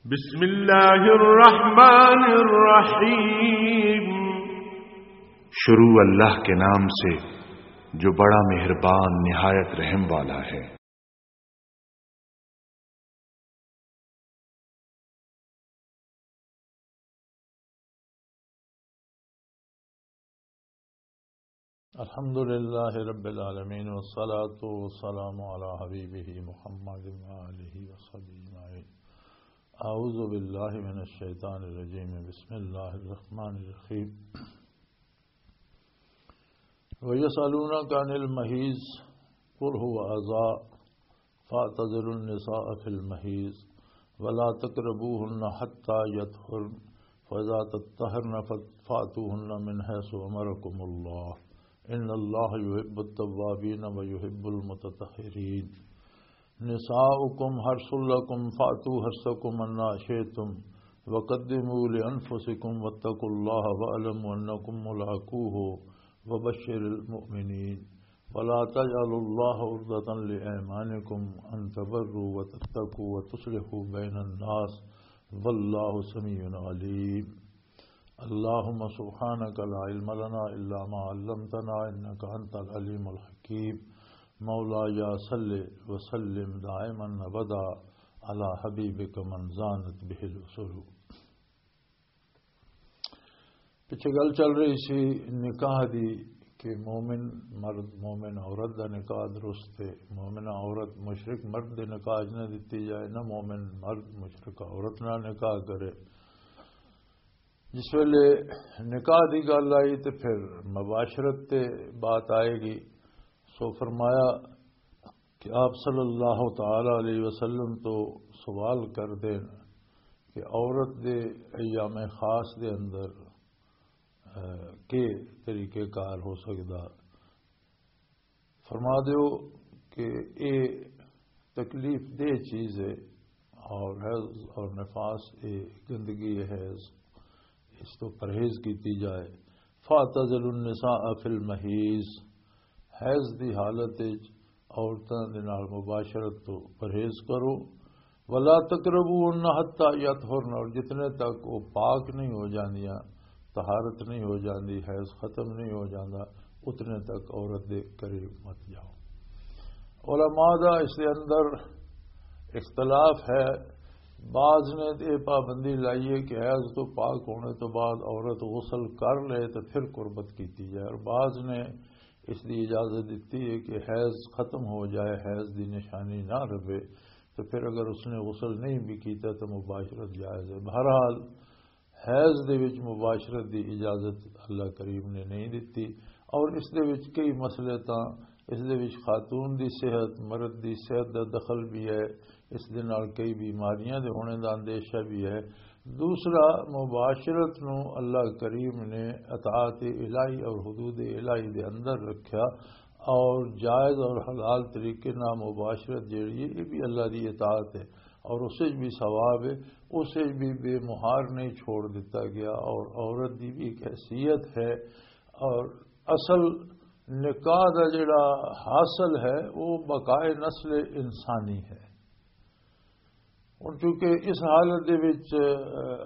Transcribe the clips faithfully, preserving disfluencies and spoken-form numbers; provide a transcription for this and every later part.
بسم اللہ الرحمن الرحیم۔ شروع اللہ کے نام سے جو بڑا مہربان نہایت رحم والا ہے۔ الحمد لله رب العالمين، والصلاة والسلام على حبيبه محمد وآله وصحبه أجمعين. أعوذ بالله من الشيطان الرجيم. بسم الله الرحمن الرحيم. ويسألونك عن المحيض، قل هو أذى، فاعتزلوا النساء في المحيض ولا تقربوهن حتى يطهرن، فإذا تطهرن فأتوهن من حيث أمركم الله، إن الله يحب التوابين ويحب المتطهرين. نساؤكم حرث لكم فأتوا حرثكم أنى شئتم وقدموا لأنفسكم واتقوا الله واعلموا أنكم ملاقوه وبشر المؤمنين. ولا تجعلوا الله عرضة لأيمانكم أن تبروا وتتقوا وتصلحوا بين الناس، والله سميع عليم. اللهم سبحانك لا علم لنا إلا ما علمتنا إنك أنت العليم الحكيم. مولاي صل وسلم دائما أبدا على حبيبك من زانت به الأصول. پچھے گل چل رہی سی نکاح دی کہ مومن مرد، مومن عورت دا نکاح درست ہے۔ مومن عورت مشرک مرد دے نکاح 'چ نہ دتی جائے، نہ مومن مرد مشرک عورت نال نکاح کرے۔ جس ویلے نکاح دی گل آئی تے پھر مباشرت تے بات آئے گی۔ سو فرمایا کہ آپ صلی اللہ تعالی علیہ وسلم تو سوال کر دین کہ عورت دے ایام خاص دے اندر، اے، کے طریقے کار ہو سکدا؟ فرما دیو کہ اے تکلیف دہ چیز ہے، اور حیض اور نفاس اے گندگی ہے، حیض، اس تو پرہیز کیتی جائے۔ فاعتزلوا النساء فی المحیض، حیض دی حالت وچ عورتاں دے نال مباشرت تو پرہیز کرو۔ ولا تقربوهن حتى يطهرن، اور جتنے تک وہ پاک نہیں ہو جاندیاں، طہارت نہیں ہو جاندی، حیض ختم نہیں ہو جاندا، اتنے تک عورت دے قریب مت جاؤ۔ علماء دا اس دے اندر اختلاف ہے۔ بعض نے یہ پابندی لائی ہے کہ حیض تو پاک ہونے تو بعد عورت غسل کر لے تو پھر قربت کیتی جائے، اور بعض نے اس دی اجازت دیتی ہے کہ حیض ختم ہو جائے، حیض دی نشانی نہ رہے، تو پھر اگر اس نے غسل نہیں بھی کیتا تو مباشرت جائز ہے۔ بہرحال، حیض دے وچ مباشرت دی اجازت اللہ کریم نے نہیں دتی، اور اس دے وچ کئی مسئلے تاں، اس دے وچ خاتون دی صحت، مرد دی صحت دا دخل بھی ہے، اس دے نال کئی بیماریاں دے ہونے دا اندیشہ بھی ہے۔ دوسرا، مباشرت نو اللہ کریم نے اطاعت الہی اور حدود الہی دے اندر رکھیا، اور جائز اور حلال طریقے نال مباشرت جیڑی ہے، یہ بھی اللہ دی اطاعت ہے، اور اس وچ بھی ثواب ہے، اس وچ بھی بے مہار نہیں چھوڑ دیتا گیا، اور عورت دی بھی ایک حیثیت ہے، اور اصل نکاح دا جڑا حاصل ہے، وہ بقائے نسل انسانی ہے۔ ہن چونکہ اس حالت دے وچ،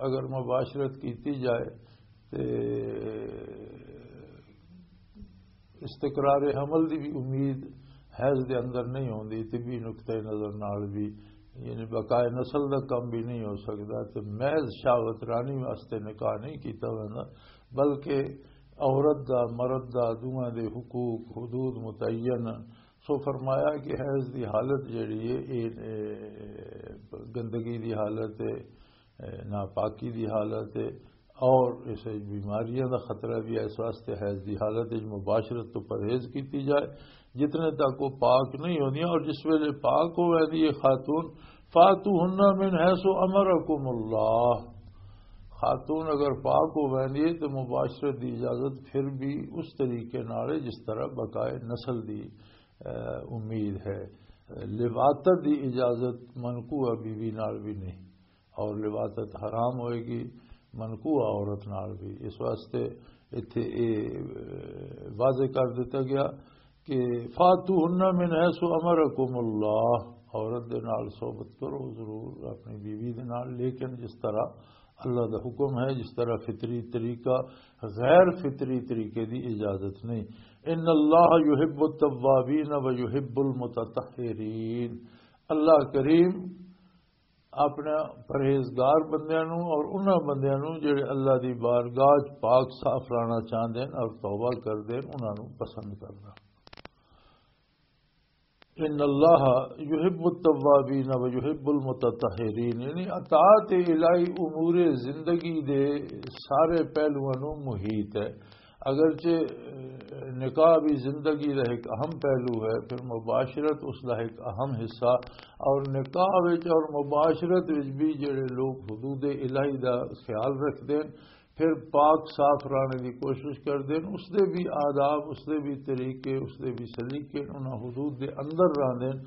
اگر مباشرت کیتی جائے تے استقرار حمل دی بھی امید حیض دے اندر نہیں ہوندی، طبی نقطہ نظر نال بھی، یعنی بقائے نسل دا کم بھی نہیں ہو سکدا، تے محض شہوت رانی واسطے نکاح نہیں کیتا ویندا، بلکہ عورت دا، مرد دا، دوواں دے حقوق، حدود متعین۔ سو فرمایا کہ حیض دی حالت جڑی ہے، یہ، اے، گندگی دی حالت ہے، اے، ناپاکی دی حالت ہے، اور اس وچ بیماریاں دا خطرہ بھی ہے، اس واسطے حیض دی حالت وچ مباشرت تو پرہیز کیتی جائے، جتنے تک وہ پاک نہیں ہوندیاں۔ اور جس ویلے پاک ہو ویندی ہے خاتون، فاتوہن من حیث امرکم اللہ، خاتون اگر پاک ہو ویندی ہے تو مباشرت دی اجازت پھر بھی اس طریقے نال ہے جس طرح بقائے نسل دی، اے، امید ہے۔ لواطت دی اجازت منکوحہ بیوی نال بھی نہیں، اور لواطت حرام ہوئے گی منکوحہ عورت نال بھی۔ اس واسطے ایتھے اے، اے، واضح کر دتا گیا کہ فاتوہن من حیث امرکم اللہ، عورت دے نال صحبت کرو ضرور، اپنی بیوی دے نال، لیکن جس طرح اللہ دا حکم ہے، جس طرح فطری طریقہ، غیر فطری طریقے دی اجازت نہیں۔ ان اللہ یحب التوابین و یحب المتطہرین۔ اللہ کریم اپنے پرہیزگار بندیاں نوں اور انہاں بندیاں نوں جڑے اللہ دی بارگاہ چ پاک صاف رہنا چاہندے ہیں اور توبہ کردے ہیں، انہاں نوں پسند کردا۔ ان اللہ یحب التوابین و یحب المتطہرین، یعنی اطاعت الہی امور زندگی دے سارے پہلوؤں نوں محیط ہے۔ اگرچہ نکاح بھی زندگی دا ایک اہم پہلو ہے، پھر مباشرت اس دا ایک اہم حصہ، اور نکاح وچ اور مباشرت وچ بھی جڑے لوگ حدود الہی دا خیال رکھتے ہیں، پھر پاک صاف رہنے دی کوشش کردے ہیں، اس دے بھی آداب، اس دے بھی طریقے، اس دے بھی سلیقے، انہاں حدود دے اندر رہندے ہیں،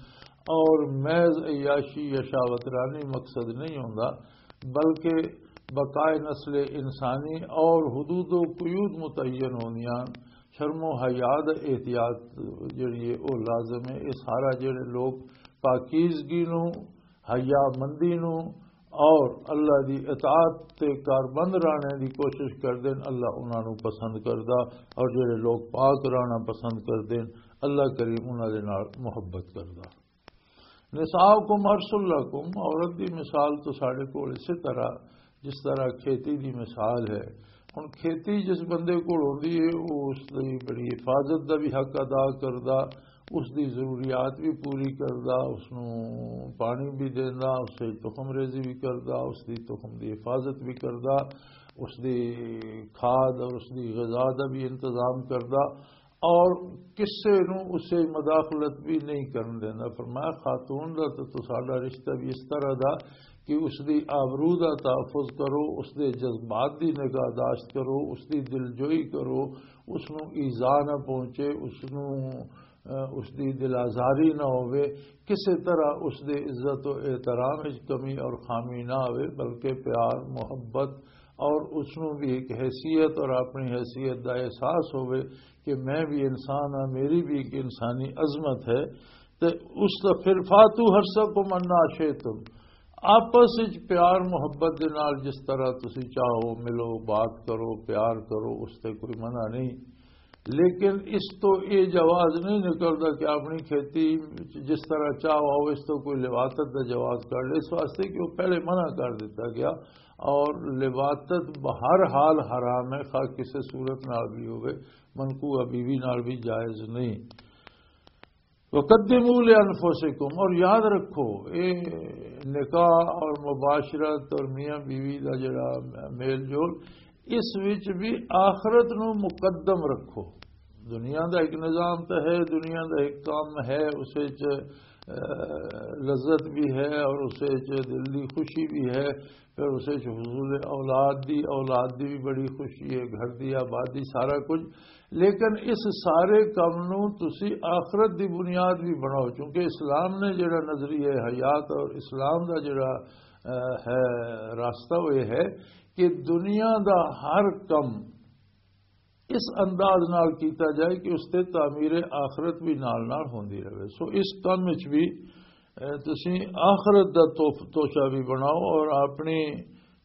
اور محض عیاشی یا شہوت رانی مقصد نہیں ہوندا، بلکہ بقائے نسل انسانی اور حدود و قیود متعین ہوندیاں۔ شرم و حیا دا احتیاط جڑی ہے، او لازم ہے۔ یہ سارا جڑے لوگ پاکیزگی نوں، حیا مندی نوں اور اللہ دی اطاعت تے کاربند رہنے دی کوشش کردے ہیں، اللہ انہاں نوں پسند کردا، اور جڑے لوگ پاک رہنا پسند کردے ہیں، اللہ کریم انہاں دے نال محبت کردا۔ نساؤکم حرث لکم، عورت دی مثال تو ساڈے کول اسی طرح، جس طرح کھیتی دی مثال ہے۔ ہن کھیتی جس بندے کول ہوندی ہے، وہ اس دی بڑی حفاظت دا بھی حق ادا کردا، اس دی ضروریات بھی پوری کردا، اس نوں پانی بھی دیندا، اس دی تخم ریزی بھی کردا، اس دی تخم دی حفاظت بھی کردا، اس دی کھاد اور اس دی غذا دا بھی انتظام کردا، اور کسے نوں اسے مداخلت بھی نہیں کرن دیندا۔ فرمایا، خاتون دا تے تساڈا رشتہ بھی اس طرح دا کہ اس دی آبرو دا تحفظ کرو، اس دے جذبات دی نگاہداشت کرو، اس دی دلجوئی کرو، اس نوں ایذا نہ پہنچے، اس نوں، اہ، اس دی دل آزاری نہ ہووے، کسے طرح اس دے عزت و احترام وچ کمی اور خامی نہ ہووے، بلکہ پیار، محبت اور اس نوں بھی ایک حیثیت اور اپنی حیثیت دا احساس ہووے کہ میں بھی انسان ہاں، میری بھی ایک انسانی عظمت ہے۔ تے اس دا پھر فاتو حرثکم انا شئتم، آپس وچ پیار محبت دے نال جس طرح تسی چاہو ملو، بات کرو، پیار کرو، اس تے کوئی منع نہیں۔ لیکن اس تو یہ جواز نہیں نکلدا کہ اپنی کھیتی وچ جس طرح چاہو آؤ، اس تو کوئی لواطت دا جواز کر لے، اس واسطے کہ وہ پہلے منع کر دیتا گیا، اور لواطت بہر حال حرام ہے، خواہ کسے صورت نال بھی ہوئے، منقوہ بیوی نال بھی جائز نہیں۔ وقدموا لانفسکم، اور یاد رکھو، اے نکاح اور مباشرت اور میاں بیوی دا جڑا میل جول، اس وچ بھی آخرت نو مقدم رکھو۔ دنیا دا ایک نظام تو ہے، دنیا دا ایک کام ہے، اس وچ، اہ، لذت بھی ہے اور اس وچ دل دی خوشی بھی ہے، پھر اس وچ حصول اولاد دی، اولاد دی بھی بڑی خوشی ہے، گھر دی آبادی، سارا کچھ۔ لیکن اس سارے کم نو تسی آخرت دی بنیاد بھی بناؤ، کیونکہ اسلام نے جڑا نظریہ حیات اور اسلام دا جڑا، اہ، ہے راستہ، وہ یہ ہے کہ دنیا دا ہر کم اس انداز نال کیتا جائے کہ اس تے تعمیر آخرت بھی نال نال ہوندی رہے۔ سو اس کم وچ بھی، اے، تسی آخرت دا توف-، توشہ بھی بناؤ اور اپنی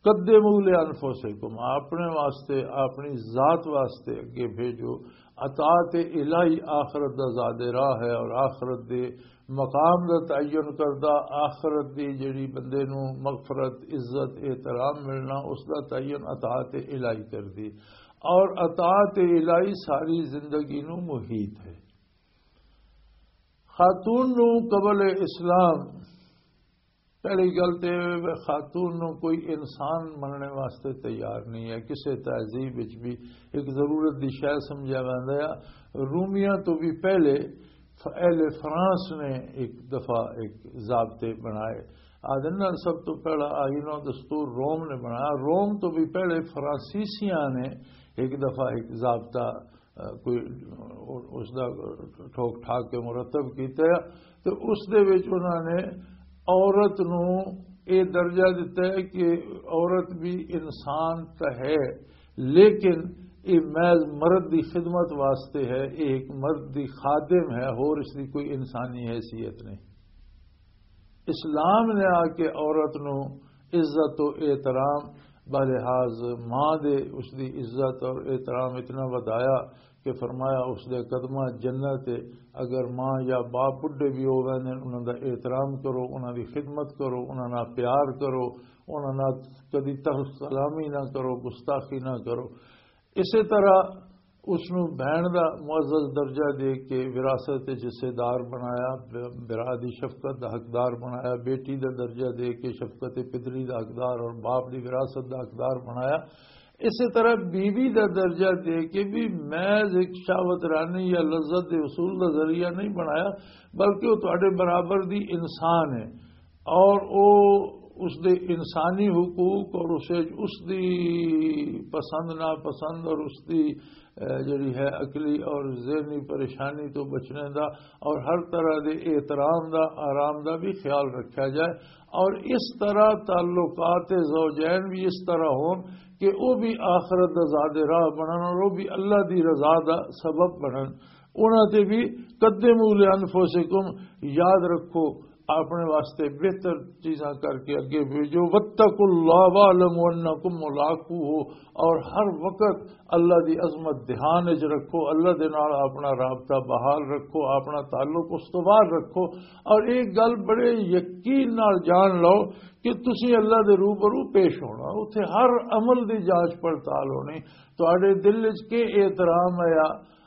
قدموا لانفسکم، اپنے واسطے، اپنی ذات واسطے اگے بھیجو۔ اطاعت الہی آخرت دا زیادہ راہ ہے اور آخرت دے مقام دا تعین کردہ، آخرت دی جڑی بندے نو مغفرت، عزت، احترام ملنا، اس دا تعین اطاعت الہی کردی۔ اور اطاعت الہی ساری زندگی نو محیط ہے۔ خاتون نو قبل اسلام، پہلی گل تے خاتون نو کوئی انسان مننے واسطے تیار نہیں ہے، کسے تہذیب وچ بھی ایک ضرورت دی شے سمجھا ویندا ہے۔ رومیاں تو بھی پہلے ف-، اہل فرانس نے ایک دفعہ ایک ضابطے بنائے۔ آدھے نا، سب تو پہلا آئین و دستور روم نے بنایا۔ روم تو بھی پہلے فرانسیسیاں نے ایک دفعہ ایک ضابطہ، آ، کوئی اس دا ٹھوک ٹھاک کے مرتب کیتا ہے۔ تو اس دے وچ انہاں نے عورت نو اے درجہ دتا ہے کہ عورت بھی انسان تو ہے، لیکن یہ محض مرد دی خدمت واسطے ہے، یہ ایک مرد دی خادم ہے، اور اس دی کوئی انسانی حیثیت نہیں۔ اسلام نے آ کے عورت نو عزت و احترام بلحاظ ماں دے اس دی عزت اور احترام اتنا ودایا کہ فرمایا، اس دے قدماں جنت ہے۔ اگر ماں یا باپ بڈھے بھی ہو ویندے نے، انہاں دا احترام کرو، انہاں دی خدمت کرو، انہاں نال پیار کرو، انہاں نال کدی تخت سلامی نہ کرو، گستاخی نہ کرو۔ اسی طرح اس نوں بہن دا معزز درجہ دے کے وراثت وچ حصے دار بنایا، برا دی شفقت دا حقدار بنایا، بیٹی دا درجہ دے کے شفقت پدری دا حقدار اور باپ دی وراثت دا حقدار بنایا۔ اسی طرح بیوی دا درجہ دے کے بھی محض ایک شہوت رانی یا لذت دے حصول دا ذریعہ نہیں بنایا، بلکہ وہ تہاڈے برابر دی انسان ہے۔ اور او اس دے انسانی حقوق اور اسے اس دی پسند ناپسند اور اس دی، اے، جڑی ہے عقلی اور ذہنی پریشانی تو بچنے دا اور ہر طرح دے احترام دا، آرام دا بھی خیال رکھا جائے۔ اور اس طرح تعلقات زوجین بھی اس طرح ہون کہ وہ بھی آخرت دا زاد راہ بنن اور وہ بھی اللہ دی رضا دا سبب بنن۔ انہاں تے بھی، قدموا لانفسکم، یاد رکھو، اپنے واسطے بہتر چیزاں کر کے اگے بھیجو۔ واتقوا اللہ واعلموا انکم ملاقوہ، اور ہر وقت اللہ دی عظمت دھیان وچ رکھو، اللہ دے نال اپنا رابطہ بحال رکھو، اپنا تعلق استوار رکھو، اور ایک گل بڑے یقین نال جان لو کہ تسی اللہ دے روبرو پیش ہونا، اتھے ہر عمل دی جانچ پڑتال ہونی، تہاڈے دل وچ کے احترام ہے،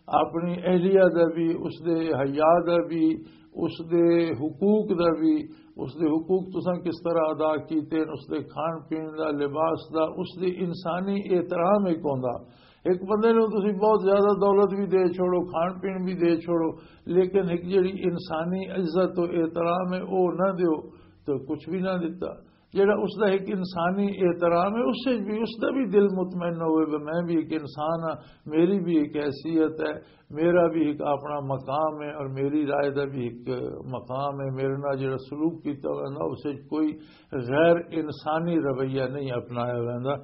اپنی اہلیہ دا بھی، اس دے حیا دا بھی، اس دے حقوق دا بھی، اس دے حقوق تساں کس طرح ادا کیتے ہیں، اس دے کھان پین دا، لباس دا، اس دی انسانی احترام ایک ہوندا۔ ایک بندے نوں تسی بہت زیادہ دولت بھی دے چھوڑو، کھان پین بھی دے چھوڑو، لیکن ایک جڑی انسانی عزت و احترام ہے، او نہ دیو، تو کچھ بھی نہ دیتا۔ جڑا اس دا ایک انسانی احترام ہے، اس سے بھی، اس دا بھی دل مطمئن ہوئے کہ میں بھی ایک انسان ہاں، میری بھی ایک حیثیت ہے، میرا بھی ایک اپنا مقام ہے اور میری رائے دا بھی ایک مقام ہے۔ میرے نال جڑا سلوک کیتا ہوا نا، اس سے کوئی غیر انسانی رویہ نہیں اپنایا ہوا۔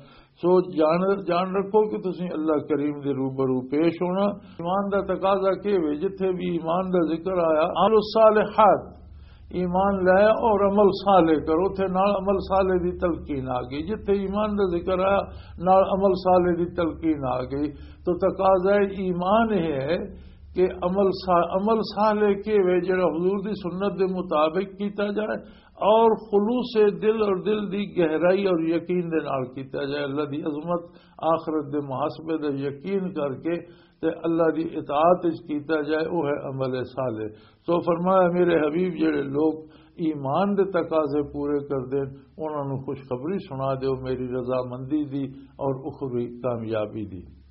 سو جان، جان رکھو کہ تسی اللہ کریم دے روبرو پیش ہونا۔ ایمان دا تقاضا کی ہوئے؟ جتھے بھی ایمان دا ذکر آیا، عمل الصالحات، ایمان لے اور عمل صالح کرو، تے نال عمل صالح دی تلقین آ گئی۔ جتھے ایمان دا ذکر آیا، نال عمل صالح دی تلقین آ گئی۔ تو تقاضا ایمان یہ ہے کہ عمل صا-، عمل صالح کے وے جڑا حضور دی سنت دے مطابق کیتا جائے اور خلوص دل اور دل دی گہرائی اور یقین دے نال کیتا جائے، اللہ دی عظمت، آخرت دے محاسبے دا یقین کر کے تے اللہ دی اطاعت وچ کیتا جائے، وہ ہے عمل صالح۔ سو فرمایا، میرے حبیب، جڑے لوگ ایمان دے تقاضے پورے کر دین، انہاں نوں خوشخبری سنا دیو میری رضامندی دی اور اخروی کامیابی دی۔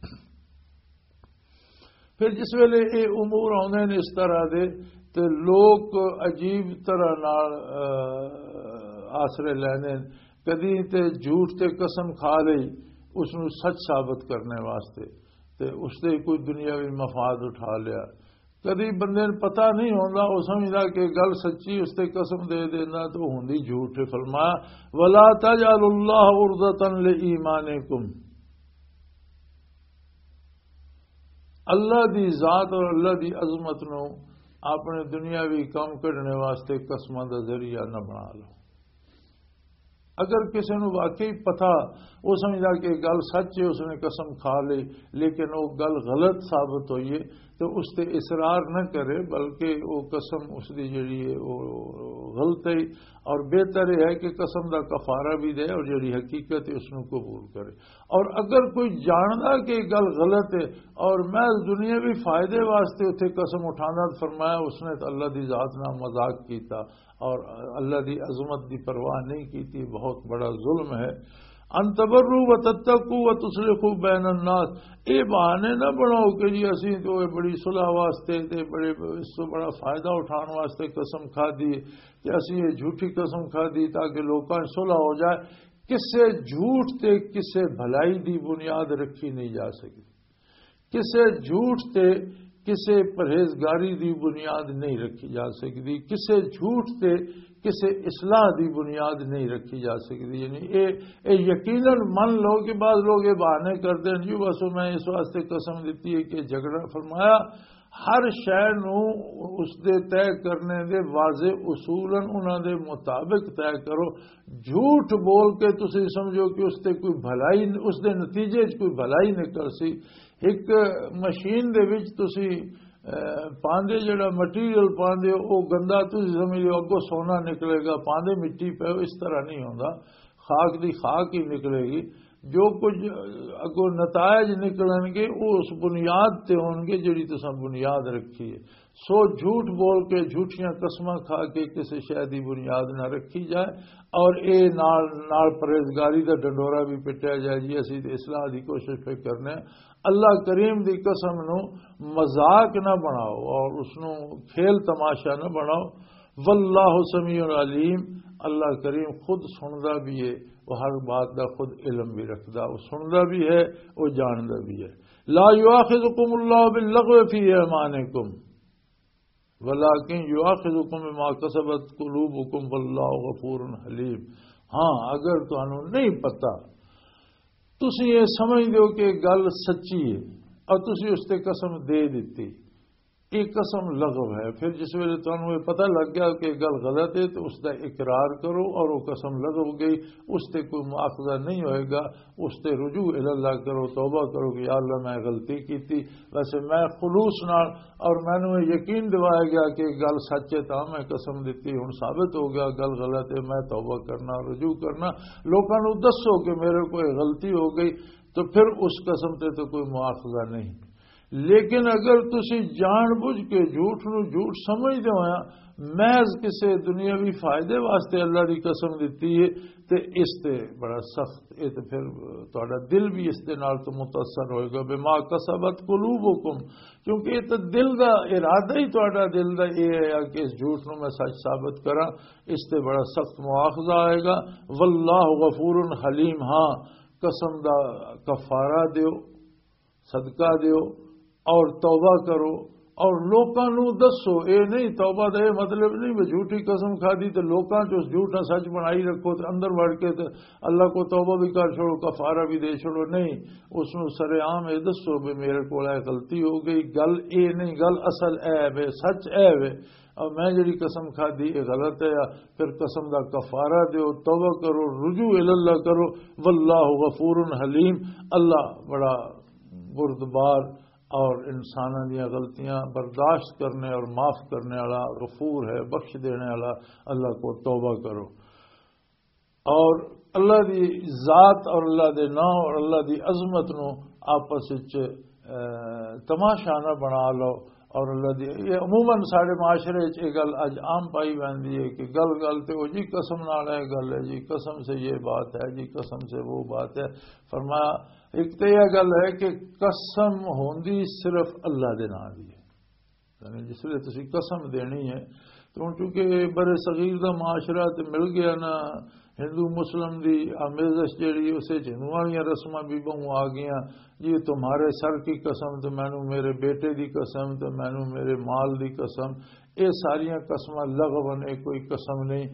پھر جس ویلے یہ امور آوندے نے اس طرح دے، تے لوگ عجیب طرح نال، آ، آسرے لیندے نے۔ کدی تے جھوٹ تے قسم کھا لئی اس نوں سچ ثابت کرنے واسطے، تے اس تے کوئی دنیاوی مفاد اٹھا لیا۔ کدی بندے نوں پتہ نہیں ہوندا، او سمجھدا کہ گل سچی، اس تے قسم دے دیندا تے او ہوندی جھوٹ ہے۔ فرمایا، "ولا تجعلوا اللہ عرضۃ لایمانکم۔" اللہ دی ذات اور اللہ دی عظمت نو اپنے دنیاوی کم کڈنے واسطے قسماں دا ذریعہ نہ بنا لو۔ اگر کسی نو واقعی پتہ، وہ سمجھدا کہ یہ گل سچ ہے، اس نے قسم کھا لی، لیکن وہ گل غلط ثابت ہوئی ہے، تو اس تے اصرار نہ کرے، بلکہ وہ قسم اس دی جڑی ہے، وہ غلط ہے، اور بہتر یہ ہے کہ قسم دا کفارہ بھی دے اور جڑی حقیقت ہے، اس نو قبول کرے۔ اور اگر کوئی جاندا کہ یہ گل غلط ہے اور محض دنیاوی فائدے واسطے اتھے قسم اٹھاندا، تو فرمایا اس نے تو اللہ دی ذات نال مذاق کیتا اور اللہ دی عظمت دی پرواہ نہیں کیتی، بہت بڑا ظلم ہے۔ ان تبروا وتتقوا وتصلحوا بین الناس۔ اے بہانے نہ بناؤ کہ جی اسی تو اے بڑی صلح واسطے تے بڑے، اس تو بڑا فائدہ اٹھان واسطے قسم کھا دی، کہ اسی یہ جھوٹی قسم کھا دی تاکہ لوکاں صلح ہو جائے۔ کسے جھوٹ تے کسے بھلائی دی بنیاد رکھی نہیں جا سکتی۔ کسے جھوٹ تے کسے پرہیزگاری دی بنیاد نہیں رکھی جا سکتی۔ کسے جھوٹ تے کسے اصلاح دی بنیاد نہیں رکھی جا سکتی۔ یعنی اے، اے یقیناً من لو کہ بعض لوگ یہ بہانے کرتے ہیں، "جی بس میں اس واسطے قسم دیتی ہے کہ جھگڑا۔" فرمایا، ہر شے نوں اس دے طے کرنے دے واضح اصولن انہاں دے مطابق طے کرو۔ جھوٹ بول کے تسی سمجھو کہ اس تے کوئی بھلائی، اس دے نتیجے چ کوئی بھلائی نکل سی۔ ایک مشین دے وچ تسی، اے، پاندے، جڑا مٹیریل پاندے ہو، او گندا، تسی سمجھ لو اگوں سونا نکلے گا، پاندے مٹی پہ، اس طرح نہیں ہوندا۔ خاک دی خاک ہی نکلے گی۔ جو کچھ اگوں نتائج نکلن گے، وہ اس بنیاد تے ہون گے جڑی تساں بنیاد رکھی ہے۔ سو جھوٹ بول کے، جھوٹیاں قسماں کھا کے کسی شے دی بنیاد نہ رکھی جائے، اور اے نال نال پرہیزگاری دا ڈنڈورا بھی پٹیا جائے، جی اسی تے اصلاح دی کوشش پہ کرنے ہیں۔ اللہ کریم دی قسم نو مذاق نہ بناؤ اور اس نو کھیل تماشا نہ بناؤ۔ واللہ سمیع علیم، اللہ کریم خود سندا بھی ہے، وہ ہر بات دا خود علم بھی رکھدا، وہ سندا بھی ہے، وہ جاندا بھی ہے۔ لا یؤاخذکم اللہ باللغو فی ایمانکم ولکن یؤاخذکم بما کسبت قلوبکم واللہ غفور حلیم۔ ہاں، اگر تانوں نہیں پتا، تسی یہ سمجھ دیو کہ گل سچی ہے اور تسی اس تے قسم دے دتی، یہ قسم لغو ہے۔ پھر جس ویلے تانوں یہ پتہ لگ گیا کہ یہ گل غلط ہے، تو اس دا اقرار کرو اور وہ قسم لغو گئی، اس تے کوئی مواخذہ نہیں ہوئے گا۔ اس تے رجوع الی اللہ کرو، توبہ کرو کہ یا اللہ، میں غلطی کیتی، ویسے میں خلوص نال، اور مینوں یہ یقین دوایا گیا کہ یہ گل سچ ہے، تاں میں قسم دتی، ہن ثابت ہو گیا گل غلط ہے، میں توبہ کرنا، رجوع کرنا۔ لوکاں نوں دسو کہ میرے کوئی غلطی ہو گئی، تو پھر اس قسم تے تو کوئی مواخذہ نہیں۔ لیکن اگر تسی جان بوجھ کے جھوٹ نو جھوٹ سمجھدے ہویا محض کسے دنیاوی فائدے واسطے اللہ دی قسم دتی ہے، تے اس تے بڑا سخت، اے تے پھر تہاڈا دل بھی اس دے نال تو متاثر ہوئے گا۔ بما کسبت قلوبکم، کیونکہ اے تے دل دا ارادہ ہی، تہاڈا دل دا اے ہے کہ اس جھوٹ نو میں سچ ثابت کراں، اس تے بڑا سخت مواخذہ آئے گا۔ واللہ غفور حلیم، ہاں، قسم دا کفارہ دیو، صدقہ دیو اور توبہ کرو اور لوکاں نوں دسو۔ اے نہیں، توبہ دا اے مطلب نہیں وہ جھوٹی قسم کھا دی تے لوکاں چ اس جھوٹ نہ سچ بنائی رکھو تے اندر وڑ کے تے اللہ کو توبہ بھی کر چھوڑو، کفارہ بھی دے چھوڑو۔ نہیں، اس نوں سر عام اے دسو بھی میرے کول اے غلطی ہو گئی۔ گل اے نہیں، گل اصل اے وے، سچ اے وے، اور میں جڑی قسم کھا دی اے غلط ہے، پھر قسم دا کفارہ دیو، توبہ کرو، رجوع الی اللہ کرو۔ واللہ غفور حلیم، اللہ بڑا بردبار اور انساناں دیاں غلطیاں برداشت کرنے اور معاف کرنے والا، غفور ہے، بخش دینے والا۔ اللہ کو توبہ کرو اور اللہ دی ذات اور اللہ دے نام اور اللہ دی عظمت نو آپس وچ، اے، تماشا نہ بنا لو۔ اور اللہ دی، یہ عموماً ساڈے معاشرے وچ یہ گل اج عام پائی ویندی ہے کہ گل گل تے او جی قسم نال اے گل ہے جی، قسم سے یہ بات ہے جی، قسم سے وہ بات ہے۔ فرمایا، ایک تے یہ گل ہے کہ قسم ہوندی صرف اللہ دے نام دی ہے۔ یعنی جس ویلے تسی قسم دینی ہے، تو ہن چونکہ بر صغیر دا معاشرہ تے مل گیا نا، ہندو مسلم دی آمیزش جیڑی، اسے چ ہندوؤں والیاں رسماں بھی بہوں آ گئیاں۔ جی تمہارے سر کی قسم، تو مینوں میرے بیٹے دی قسم، تو مینوں میرے مال دی قسم، اے ساریاں قسماں لغو نے، کوئی قسم نہیں۔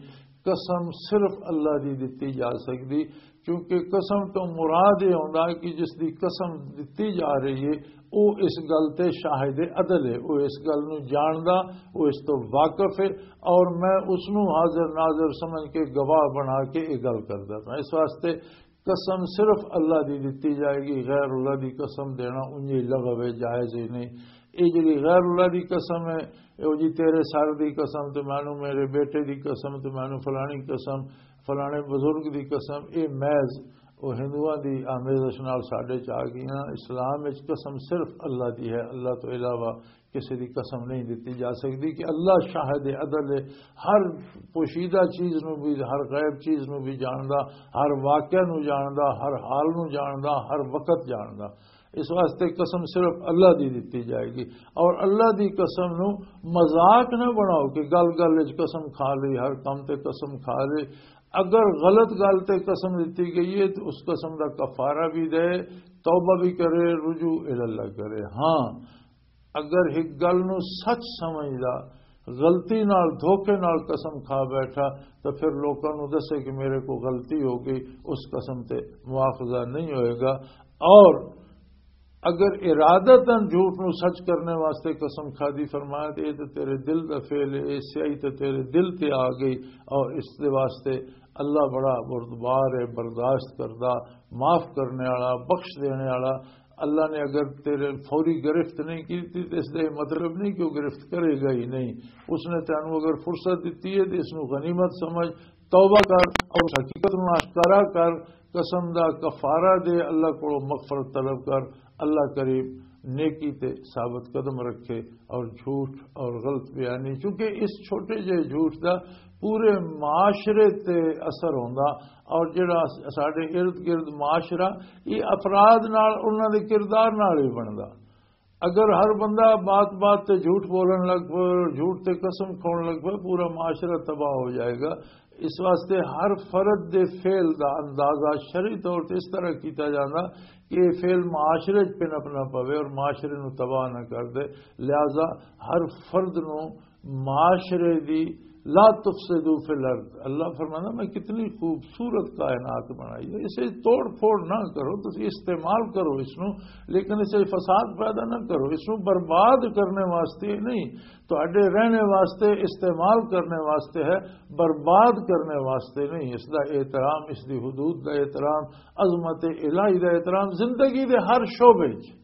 قسم صرف اللہ دی دتی جا سکدی، کیونکہ قسم تو مراد یہ ہوندا ہے کہ جس دی قسم دتی جا رہی ہے، او اس گل تے شاہد عدل ہے، او اس گل نو جاندا، او اس تو واقف ہے، اور میں اس نو حاضر ناظر سمجھ کے گواہ بنا کے یہ گل کردا پیا۔ اس واسطے قسم صرف اللہ دی دتی جائے گی، غیر اللہ دی قسم دینا انجی لغو ہے، جائز ہی نہیں۔ یہ جڑی غیر اللہ دی قسم ہے، او جی تیرے سر دی قسم، تے مینوں میرے بیٹے دی قسم، تے مینوں فلانی قسم، فلانے بزرگ دی قسم، یہ محض وہ ہندوؤں دی آمیزش نال ساڈے چ آ گئیاں۔ اسلام وچ قسم صرف اللہ دی ہے، اللہ تو علاوہ کسی دی قسم نہیں دتی جا سکدی، کہ اللہ شاہد عدل ہے، ہر پوشیدہ چیز نو بھی، ہر غیب چیز نو بھی جاندا، ہر واقعہ نو جاندا، ہر حال نو جاندا، ہر وقت جاندا۔ اس واسطے قسم صرف اللہ دی دتی جائے گی، اور اللہ دی قسم نو مذاق نہ بناؤ کہ گل گل وچ قسم کھا لئی، ہر کم تے قسم کھا لئی۔ اگر غلط گل تے قسم دتی گئی ہے تو اس قسم دا کفارہ بھی دے، توبہ بھی کرے، رجوع الی اللہ کرے۔ ہاں، اگر ایک گل نو سچ سمجھدا، غلطی نال، دھوکے نال قسم کھا بیٹھا، تو پھر لوکاں نو دسے کہ میرے کو غلطی ہو گئی، اس قسم تے مواخذہ نہیں ہوئے گا۔ اور اگر ارادتاً جھوٹ نو سچ کرنے واسطے قسم کھادی، فرمایا، تے اے تے تیرے دل دا فعل ہے، اے سیاہی تے تیرے دل تے آ گئی، اور اس دے واسطے اللہ بڑا بردبار ہے، برداشت کردہ، معاف کرنے والا، بخش دینے والا۔ اللہ نے اگر تیرے فوری گرفت نہیں کی تھی، تو اس دا یہ مطلب نہیں کہ وہ گرفت کرے گا ہی نہیں۔ اس نے تینوں اگر فرصت دیتی ہے، تو اس نو غنیمت سمجھ، توبہ کر اور اس حقیقت نو آشکارا کر، قسم دا کفارہ دے، اللہ کو مغفرت طلب کر۔ اللہ کریم نیکی تے ثابت قدم رکھے اور جھوٹ اور غلط بیانی، چونکہ اس چھوٹے جے جھوٹ دا پورے معاشرے تے اثر ہوندا، اور جڑا ساڈے ارد گرد معاشرہ، یہ افراد نال، انہاں دے کردار نال ہی بندا۔ اگر ہر بندہ بات بات تے جھوٹ بولن لگ پے اور جھوٹ تے قسم کھاؤن لگ پے، پورا معاشرہ تباہ ہو جائے گا۔ اس واسطے ہر فرد دے فعل دا اندازہ شرعی طور تے اس طرح کیتا جاندا کہ یہ فعل معاشرے چ پنپ نہ پوے اور معاشرے نو تباہ نہ کر دے۔ لہذا ہر فرد نو معاشرے دی، لا تفسدوا فی الارض، اللہ فرمانا، میں کتنی خوبصورت کائنات بنائی ہے، اسے توڑ پھوڑ نہ کرو، تسی استعمال کرو اس نو، لیکن اسے فساد پیدا نہ کرو، اس نو برباد کرنے واسطے نہیں، تہاڈے رہنے واسطے، استعمال کرنے واسطے ہے، برباد کرنے واسطے نہیں۔ اس دا احترام، اس دی حدود دا احترام، عظمت الہی دا احترام زندگی دے ہر شعبے وچ،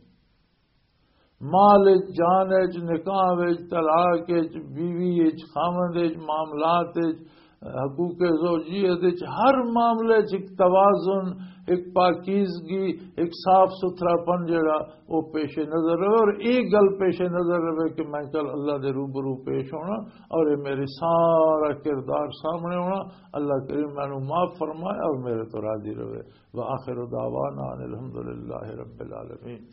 مال وچ، جان وچ، نکاح وچ، طلاق وچ، بیوی وچ، خاوند وچ، معاملات وچ، حقوق زوجیت وچ، ہر معاملے وچ ایک توازن، ایک پاکیزگی، ایک صاف ستھرا پن جڑا، وہ پیش نظر رہے۔ اور ایک گل پیش نظر رہے کہ میں کل اللہ دے روبرو پیش ہونا، اور یہ میری سارا کردار سامنے ہونا۔ اللہ کریم مینوں معاف فرمائے اور میرے تو راضی رہے۔ وآخر دعوانا ان الحمدللہ رب العالمین۔